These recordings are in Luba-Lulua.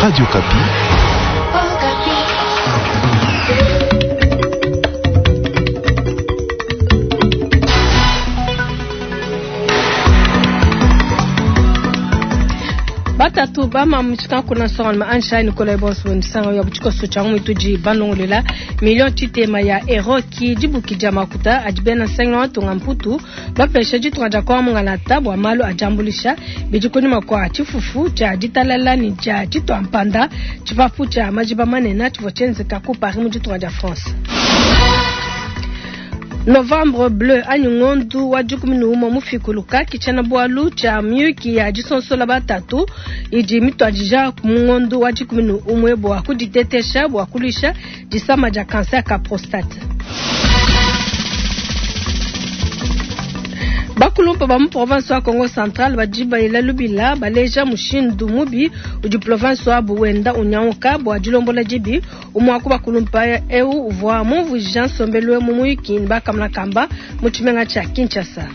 Radio Okapi. Batatu bama mutshikankuna nsongalume Ansha Nikolai bonso nisanga ya butshikoso tshia mitudi banongolela million tshitema ya euro ki dibuki dia makuta adi bena nsangilu wa matunga mputu bapesha ditunga dia Kongo mungalata bua malu a diambuluisha bidi kunyima kua tshifufu tshia ditalala ne dia ditua mpanda tshipapu tshia majiba manene tshivua tshienzeka ku Paris mu ditunga dia France. Novembre bleu anyi ngondu wa 11 mufikuluka ki tshiena-bualu tshia miyuki ya disonsola batatu idi mituadija mu ngondu wa 11 bua kuditetesha bua kuluisha disama dia cancer ka prostate. Bakulumpa ba mu province wa Kongo Central badi bayila lubila baleja mushindu mubi udi province wabu wenda unyanguka bua dilombola dibi. Umue wa ku bakulumpa eu uvua mumvuija nsombelu mu muyuki ne bakamona kamba mu tshimenga tshia Kinshasa.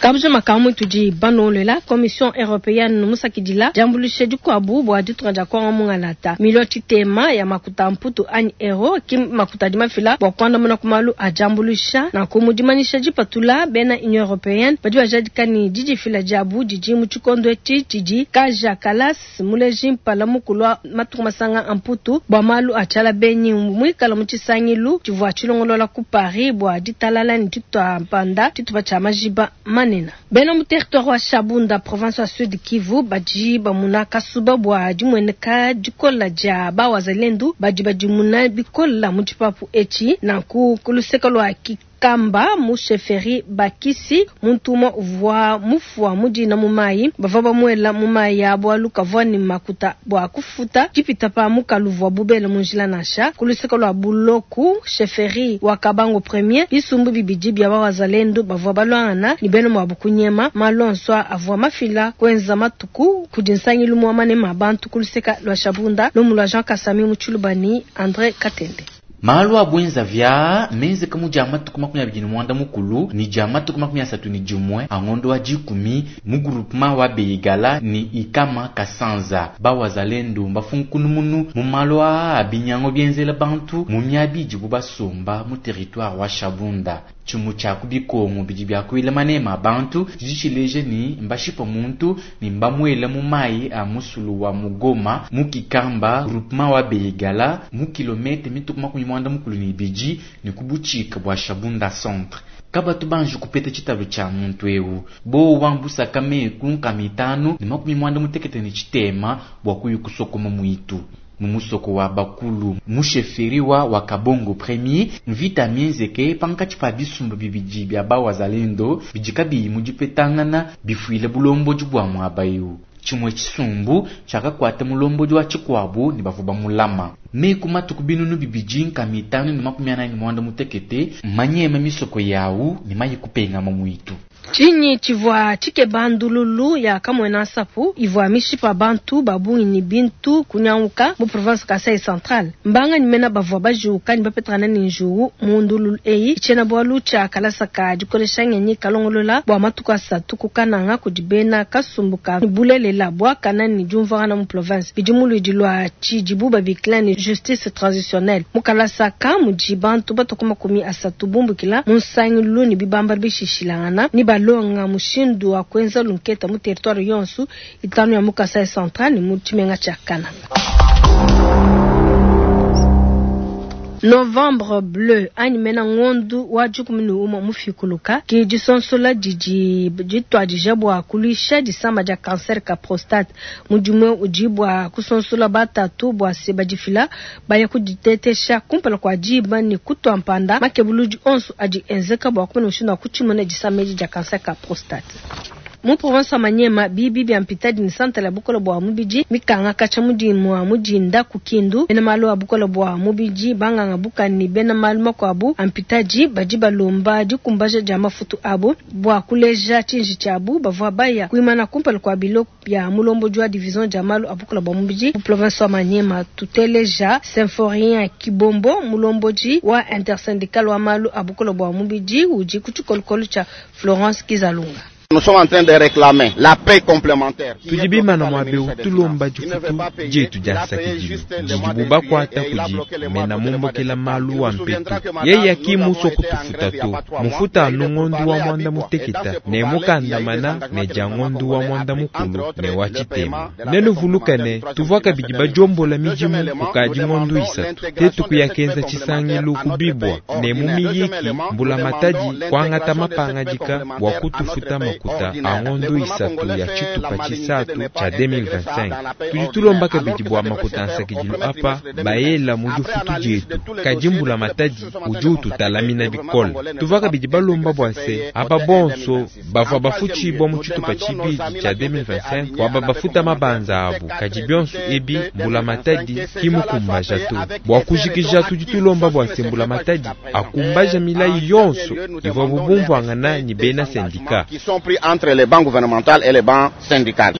Kabujima ka mutudi banolola Commission européenne musakidila diambuluisha dikuabu bua ditunga dia Kongo mungalata milio tshitema ya makuta mputu anyi euro ki makuta adi mafila bua kuandamuna ku malu a diambuluisha. Nanku mu dimanyisha dipatula bena Union européenne badi bajadika ne didifila diabu didi mu tshikondo etshi tshidi Kaja Kallas muleji mpala mukulu wa matuku masanga a mputu bua malu a tshiala benyi muikala mu tshisangilu tshivua tshilongolola ku Paris bua ditalala ne ditua mpanda tshitupa tshia majiba manene. Bena mu territoire wa Shabunda province wa Sud Kivu badi bamuna kasuba bua dimueneka dikola dia bawazalendu badi badimuna bikola mu tshipapu etshi. Nanku ku luseke lua Kikamba mu chefferie Bakisi muntu umue uvua mufua mudina mu mayi bavua bamuela mu mayi ya bualu kavua ne makuta bua kufuta dipita pa mukalu uvua bubele mu njila nansha. Ku luseke lua Buloku chefferie wa Kabango premier bisumbu bibidi bia bawazalendu bavua baluangana ne bena muabu kunyema malu onso avua mafila kuenza matuku kudi nsangilu mua manema a bantu ku luseke lua Shabunda lumu lua Jean Kasami mu Tshiluba ne Andre Katende. Malu a bwenza vya menzeka mu dia matuku 29 ne dia matuku 31 a ngondo wa 10 mu groupement wa Beigala ni Ikama Kasanza. Bawazalendo mbafunkunumunu mu malu aa binyango bienzela bantu mu miabi idibu basomba mu territoire wa Shabunda. Tshimu tshia ku bikongo bidi biakuila manema a bantu tshidi tshileja ni mbashipa muntu ni mbamuela mu mayi a musulu wa Mugoma mu Kikamba groupement wa Beigala mu kilomètre mituku 42 ne ku butshika bua Shabunda centre. Kabatu banji kupeta tshitalu tshia muntu eu bowa mbusaka meku nkama itanu ne 86 bua kuyu kusokoma muitu mu musoko wa bakulu mu chefferie wa Kabongo premier mvita mienzeke pankatshi pa bisumbu bibidi bia bawazalendo bidi kabiyi mu dipetangana bifuile bulombodi bua muaba eu. Tshimue tshisumbu tshiakakuata mulombodi wa tshikuabu ne bavua bamulama meku matuku 2548 manyema misoko yawu ne mayi kupengama muitu. Tshinyi tshivua tshikeba ndululu ya Kamwena Nsapu ivua mishipa bantu babungi ne bintu kunyanguka mu province Kasai Central. Mbanga ni mena bavua bajuka ne bapetrana ne njuwu mu ndululu eyi. Tshiena-bualu tshia kalasa ka dikolesha ngenyi kalongolola bua matuku asatu kukananga kudi bena kasumbu ka bulelela buakana ne diumvuangana mu province. Bidi mu luidi lua tshidibu babikila ne justice transitionnelle. Mu kalasa ka mudi bantu batoka 30 bumbukila mu nsangilu ne bibamba bishishilangana ne balonga mushindu wa kuenza lunketa mu territoire yonso itanu ya mu Kasai Central ne mu tshimenga tshia Kananga. Novembre bleu anyi mena ngondu wa 11 mufikuluka ki disonsola didi dituadija bua kuluisha disama dia cancer ka prostate. Mudimu udi bua kusonsola batatu bua se badifila baya kuditetesha kumpala kua diba ne kutua mpanda makebuludi onso adi enzeka bua kumona mushindu wa kutshimuna disama edi dia cancer ka prostate. Mu province wa Maniema bibi bia mpitadi ne santala ya bukole bua mubidi mikanga katshia mudimu wa mudinda ku Kindu. Bena malu a bukole bua mubidi banganga buka ne bena malu makuabu a mpitadi badi balomba dikumbaja dia mafutu abu bua kuleja tshinji tshiabu bavua baya kuimana kumpala kua bilo bia mulombodi wa division dia malu a bukole bua mubidi mu province wa Maniema. Tuteleja Symphorien Kibombo mulombodi wa intersyndical wa malu a bukole bua mubidi udi ku tshikolokolo tshia Florence Kizalunga. Nous sommes en train de réclamer la paie complémentaire. Tudi bimana muaba eu tulomba difutu dietu dia nsakidilu didibu bakuata kudi mena mumbukila malu wa mpetu. Yeye ki musue kutufuta to, mufuta anu ngondu wa muanda muteketa ne mukandamana ne dia ngondu wa muanda mukulu ne wa tshitema. Nenuvuluke ne, tuvua kabidi badiombola midimu kukadi ngondu isatu. Tetu kuya kenza tshisangilu ku bibua ne mu miyiki mbulamatadi kuangata mapangadika bua kutufuta makuta a ngondu isatu ya tshitupa tshisatu tshia 2025. Tudi tulomba kabidi bua makuta a nsakidilu apa baela mu difutu dietu, kadi mbulamatadi udi ututalamina bikole. Tuvua kabidi balomba bua se aba bonso bavua bafutshibua mu tshitupa tshibidi tshia 2025 bua babafuta mabanza abu, kadi bionso ebi mbulamatadi ki mukumbaja to. Bua kujikija, tudi tulomba bua se mbulamatadi akumbaja milayi yonso ivuabu bumvuangana ne bena sendika. Qui sont pris entre les banques gouvernementales et les banques syndicales.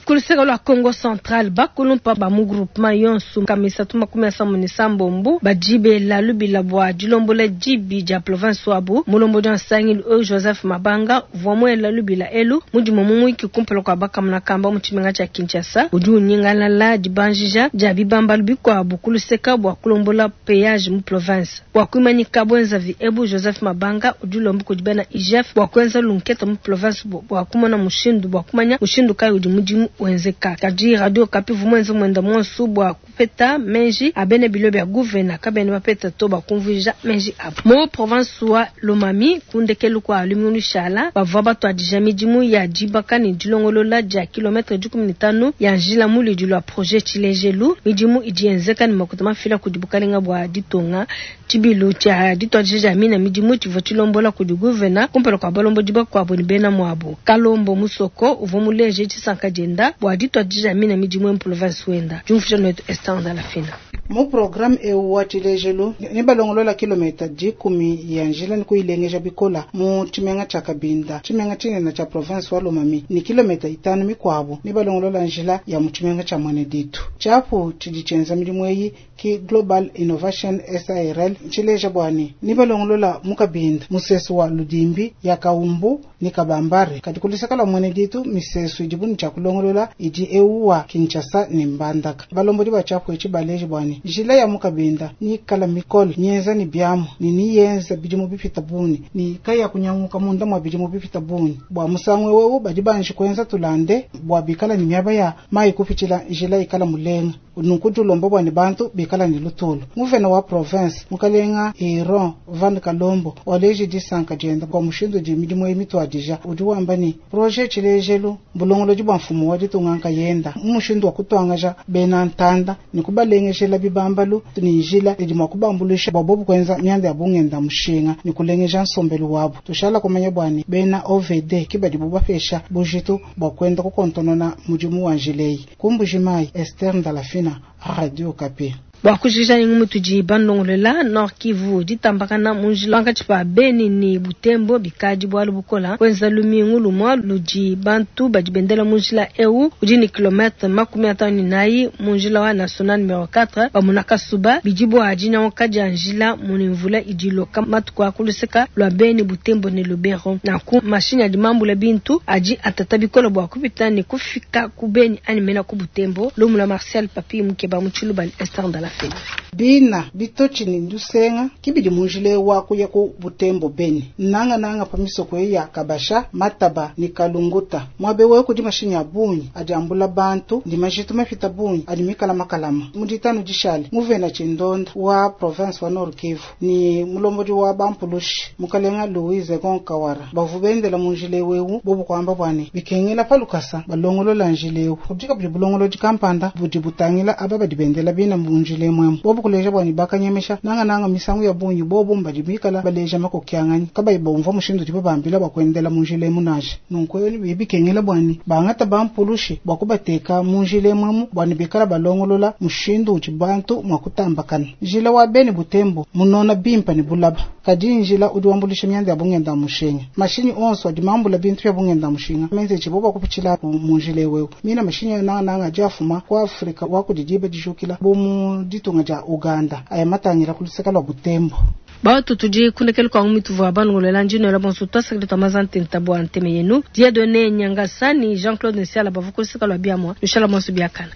Ku luseke lua Kongo Central, bakulumpa ba mu groupement yonso nkama isatu makumi asambo ne sambombo badi bela lubila bua dilombola dibi dia province wabu. Mulombodi wa nsangilu eu Joseph Mabanga uvua muela lubila elu mu dimue mu muyiki kumpala kua bakamona kamba mu tshimenga tshia Kinshasa. Udi unyingalala dibanjija dia bibambalu bikuabu ku luseka bua kulombola peage mu province. Bua kuimanyika buenzavi ebu, Joseph Mabanga udi ulomba kudi bena IGF bua kuenza lunketa mu province bua kumona mushindu bua kumanya mushindu kayi udi mudimu wenzeka. Kadi Radio Okapi uvua muenze muenda muonso bua kupeta meji a bena bilo bia guvena kabena bapeta to bua kumvuija meji abu. Mu province wa Lomami, ku ndekelu kua lumingu lushala, bavua batuadija midimu ya dibaka ne dilongolola dia kilometre 15 ya njila mu luidi lua projet Tshilejelu. Midimu idi yenzeka ne makuta mafila kudi bukalenga bua ditunga. Tshibilu tshia dituadija dia mina midimu tshivua tshilombola kudi guvena kumpala kua balombodi bakuabu ne bena muabu. Kalombo Musoko uvua muleje disanka dienda bua dituadija dia mina midimu mu province wenda. Diumvuija nuetu Esther Ndalafina. Mu programme eu wa tshilejelu ne balongolola kilometa 10 ya njila ne kuyilengeja bikola mu tshimenga tshia Kabinda, tshimenga tshinene tshia province wa Lomami, ne kilometa 5 mikuabu ne balongolola njila ya mu tshimenga tshia Mweneditu. Tshiapu tshidi tshienza midimu eyi ki Global Innovation SARL tshileja bua ne ne balongolola mu Kabinda musesu wa Ludimbi ya Kaumbu ne Kabambare. Kadi kuluseka lua Mweneditu misesu idibu ne tshia kulongolola idi eu wa Kinshasa ne Mbandaka. Balombodi ba tshiapu etshi baleje bua ne njila ya mu Kabinda ni kala mikole nyenza ni biamu ni niyenza bidimu bipita buni ni kaya kunyanguka munda mwa bidimu bipita buni bua musangu wewe badi banji kuenza tulande bua bikala ni miaba ya mai kupitshila njila ikala mulenga nunku tulomba bua ne bantu bikala ni lutulu. Nguvena wa province mukalenga Iron Van Kalombo waleji disanka dienda bua mushindu di midimu eyi mituadija udi wamba ni projet tshilejelu bulongolodi bua mfumu wa ditunga nkayenda mu mushindu wa kutuangaja bena ntanda ni kubalengejela bibambalu ni njila idi mua kubambulisha bua bobu kuenza mianda ya bungenda mushinga ni kulengeja nsombelu wabu. Tushala kumanya bua ne bena OVD ki badi bubapesha bujitu bua kuenda kukontonona mudimu wa njileyi. Kumbuji-Mayi, Esther Ndalafina, Radio Okapi. Bua kujikija ne ngumu tudi bandongolola Nord Kivu ditambakana mu njila pankatshi pa Beni ne Butembo bikadi bualu bukola kuenza lumingu lumua ludi bantu badi bendela mu njila eu udi ne kilometre makumi atanu ne nayi mu njila wa national numero 4 bamuna kasuba bidi bua dinyanguka dia njila mu ne mvula idi iloka matuku a kuluseka lua Beni Butembo ne Lubero. Nanku mashinyi adi mambula bintu adi atata bikole bua kupita ne kufika ku Beni anyi mena ku Butembo. Lumu lua Martial Papi Mukeba mu Tshiluba ne Esther Ndalafina. Bina bitochi ni ndusenga kibidi munjile wa kuya ku Butembo Beni nanga nanga pa misoko ya Kabasha Mataba ni Kalunguta mwabe we kudi mashinya ya bunyi adi ambula bantu ndi majitu mafita bunyi adi mikala makalama muditanu dishale muvena chindonda wa province wa Nord Kivu ni mulombodi wa Bampulushi mukalenga Louise Gonkawara bavubendela munjile wewu bobu kwamba bwane bikengela palukasa balongolola njilewu kudika budi bulongolodi kampanda budi butangila aba badi bendela bina munjile mwemu bobu kuleja bwani bakanyemesha nanga nanga misangu ya bunyi bobu mbadi mikala baleja makokyangani kabayi bomva mushindu dibo bambila bakwendela munjile munaje nunku bibikengela bwani bangata bampulushi bwakubateka munjile mwemu bwani bikala balongolola mushindu uti bantu mwakutambakana njila wa Beni Butembo munona bimpa ni bulaba kadi njila udi wambulisha myanda ya bungenda mushinga mashinyi onso adi mambula bintu ya bungenda mushinga menze chibo bakupitshila munjile wewe mina mashinyi nanga nanga jafuma kwa Afrika wakudidiba dijukila bomu ditunga ja Uganda aya matangira kuluseka lwa Butembo. Batu tudi kundekelu kwa mituvua banongolela ndinoela bonso twasakile twa mazantenta bua nteme yenu Dieudonné Nyangasani Jean-Claude Nsiala bavukulusika lwa biamwa nushala bonso biakana.